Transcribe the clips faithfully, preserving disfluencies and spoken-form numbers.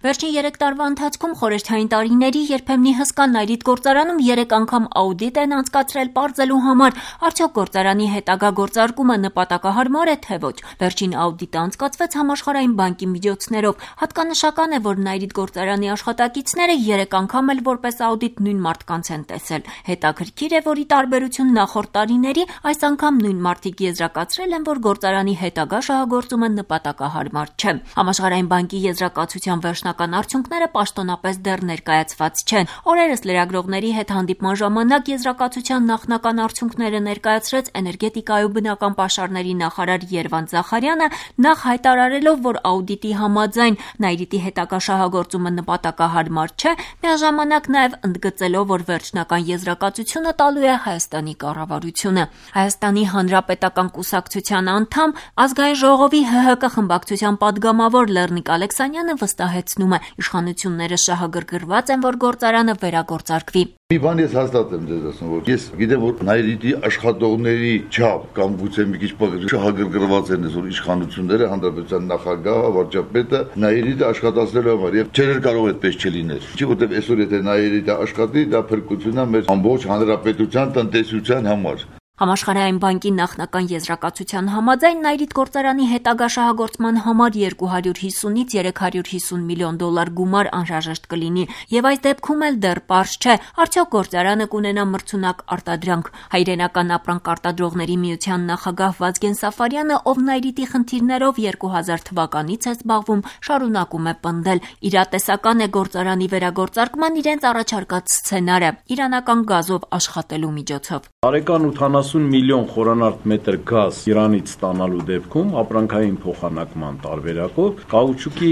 Վերջին երեք տարվա ընթացքում խորհրդային տարիների երբեմնի հսկա Նայրիտ գործարանում երեք անգամ աուդիտ են անցկացրել պարզելու համար, արդյոք գործարանի հետագա գործարկումը նպատակահարմար է, թե ոչ։ Վերջին աուդիտը անցկացվեց Համաշխարհային բանկի միջոցներով։ Հատկանշական է, որ Նայրիտ գործարանի աշխատակիցները երեք անգամ էլ որպես աուդիտ նույն մարդկանց են տեսել։ Հետաքրքիր է, որ ի տարբերություն նախորդ տարիների, այս անգամ նույն մարդիկ եզրակացրել են, որ գործարանի հետագա շահագործումը նպատակահարմար չէ։ Համաշխարհային բանկի եզրակացության վերջնական արդյունքները պաշտոնապես դեռ ներկայացված չեն։ Օրերս լրագրողների հետ հանդիպման ժամանակ եզրակացության նախնական արդյունքները ներկայացրեց էներգետիկայի ու բնական պաշարների նախարար Երվանդ Զախարյանը, նախ հայտարարելով, որ աուդիտի համաձայն Նայրիտի հետագա շահագործումը նպատակահարմար չէ, միաժամանակ նաև ընդգծելով, որ վերջնական եզրակացությունը տալու է Հայաստանի կառավարությունը։ Հայաստանի Հանրապետական կուսակցության անդամ, Ազգային ժողովի Հ Հ Կ խմբակցության падգամավոր Լեռնիկ Ալեքսանյանը վստահեցնում է, իշխանությունները շահագրգռված են, որ գործարանը վերագործարկվի։ Մի բան ես հաստատ եմ ձեզ ասում, որ ես գիտեմ, որ Նայրիտի աշխատողների չափ կամ գուցե մի քիչ շահագրգռված են այսօր իշխանությունները, հանրապետության նախագահը, վարչապետը Նայրիտը աշխատացնելու համար եւ չէր կարող այդպես չլիներ։ Չի որտեւ այսօր եթե Նայրիտը աշխատի, դա փրկություն է մեր ամբողջ հանրապետության տնտեսության համար։ Համաշխարհային բանկի նախնական եզրակացության համաձայն Նայրիտ գործարանի հետագա շահագործման համար երկու հարյուր հիսունից երեք հարյուր հիսուն միլիոն դոլար գումար անհրաժեշտ կլինի, եւ այս դեպքում էլ դեռ պարզ չէ, արդյոք գործարանը կունենա մրցունակ արտադրանք։ Հայրենական ապրանք արտադրողների միության նախագահ Վազգեն Սաֆարյանը, ով Նայրիտի խնդիրներով երկու հազար թվականից է զբաղվում, շարունակում է պնդել. իրատեսական է գործարանի վերագործարկման իրենց առաջարկած սցենարը՝ իրանական գազով աշխատելու միջոցով։ Տարեկան ութանասուն միլիոն խորանարդ մետր գազ Իրանից ստանալու դեպքում ապրանքային փոխանակման տարբերակով կաուչուկի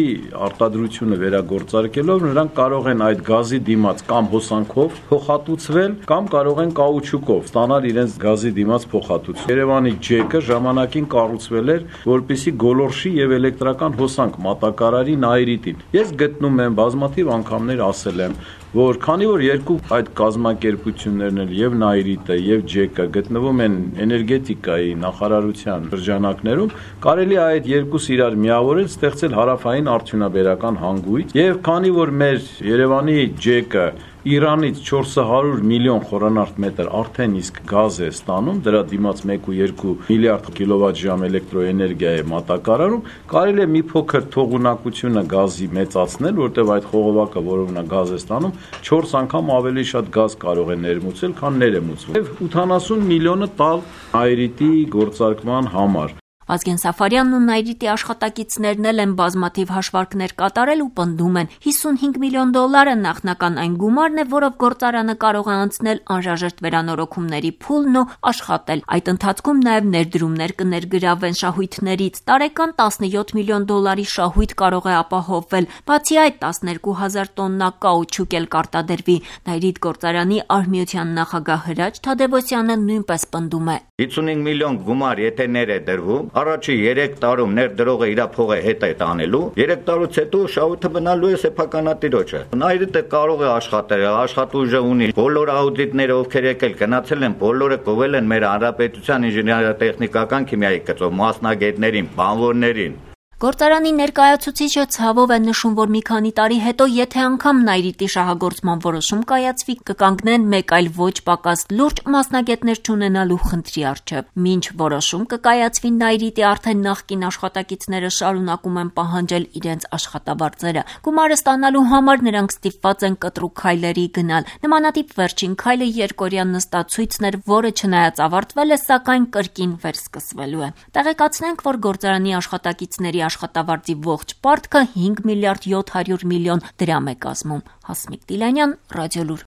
արտադրությունը վերագործարկելով նրանք կարող են այդ գազի դիմաց կամ հոսանքով փոխհատուցվել կամ կարող են կաուչուկով ստանալ իրենց գազի դիմաց փոխհատուցում։ Երևանի ջեկը ժամանակին կառուցվել էր, որպեսզի գոլորշի եւ էլեկտրական հոսանք մատակարարի Նայրիտին։ Ես գտնում եմ բազմաթիվ անգամներ ասել եմ, որ քանի որ երկու այդ կազմակերպություններն էլ եւ Նայրիտը եւ ջեկը գտնվում են էներգետիկայի նախարարության շրջանակներում, կարելի է այդ երկուսը իրար միավորել, ստեղծել հարավային արդյունաբերական հանգույց, եւ քանի որ մեր Երևանի ջեկը Իրանից չորս հարյուր միլիոն խորանարդ մետր արդեն իսկ գազ է ստանում, դրա դիմաց մեկ ու երկու միլիարդ կիլովատժամ էլեկտրոէներգիա է մատակարարում, կարելի է մի փոքր թողունակությունը գազի մեծացնել, որտեղ այդ խողովակը, որով նա գազ է ստանում, չորս անգամ ավելի շատ գազ կարող է ներմուծել, քան ներմուծվում։ Եվ ութանասուն միլիոնը տալ Նայրիտի գործարկման համար։ Վազգեն Սաֆարյանն ու Նայրիտի աշխատակիցներն էլ են բազմաթիվ հաշվարկներ կատարել ու պնդում են. հիսունհինգ միլիոն դոլարը նախնական այն գումարն է, որով գործարանը կարող է անցնել անհրաժեշտ վերանորոգումների փուլն ու աշխատել։ Այդ ընթացքում նաև ներդրումներ կներգրավվեն շահույթներից։ Տարեկան տասնյոթ միլիոն դոլարի շահույթ կարող է ապահովվել։ Բացի այդ, տասներկու հազար տոննա կաուչուկ էլ կարտադրվի։ Նայրիտ գործարանի արհմիության նախագահ Հրաչ Թադևոսյանը նույնպես պնդում է. հիսունհինգ միլիոն գումար եթե ներ է դրվում, առաջի երեք տարում ներդրողը իր փողը հետ է տանելու, երեք տարուց հետո շահույթը մնալու է սեփականատիրոջը։ Նայրիտը կարող է աշխատել, աշխատուժը ունի։ Բոլոր աուդիտները ովքեր եկել գնացել են, բոլորը կովել են մեր հանրապետության ինժեներատեխնիկական քիմիայի գծով մասնագետներին, բանվորներին։ Գործարանի ներկայացուցիչը ցավով է նշում, որ մի քանի տարի հետո, եթե անգամ Նայրիտի շահագործման որոշում կայացվի, կկանգնեն մեկ այլ ոչ պակաս լուրջ մասնագետներ չունենալու խնդրի առջև։ Մինչ որոշում կկայացվի Նայրիտի արդեն նախկին աշխատակիցները շարունակում են պահանջել իրենց աշխատավարձերը։ Գումարը ստանալու համար նրանք ստիպված են կտրուկ քայլերի գնալ։ Նմանատիպ վերջին քայլը երկօրյա նստացույցն էր, որը չնայած ավարտվել է, սակայն կրկին վերսկսվելու է։ Տեղեկացնենք, որ գործարանի աշխատակիցների աշխատավարձի ողջ պարտքը հինգ միլիարդ յոթ հարյուր միլիոն դրամ է կազմում։ Հասմիկ Տիլանյան, Ռադիոլուր։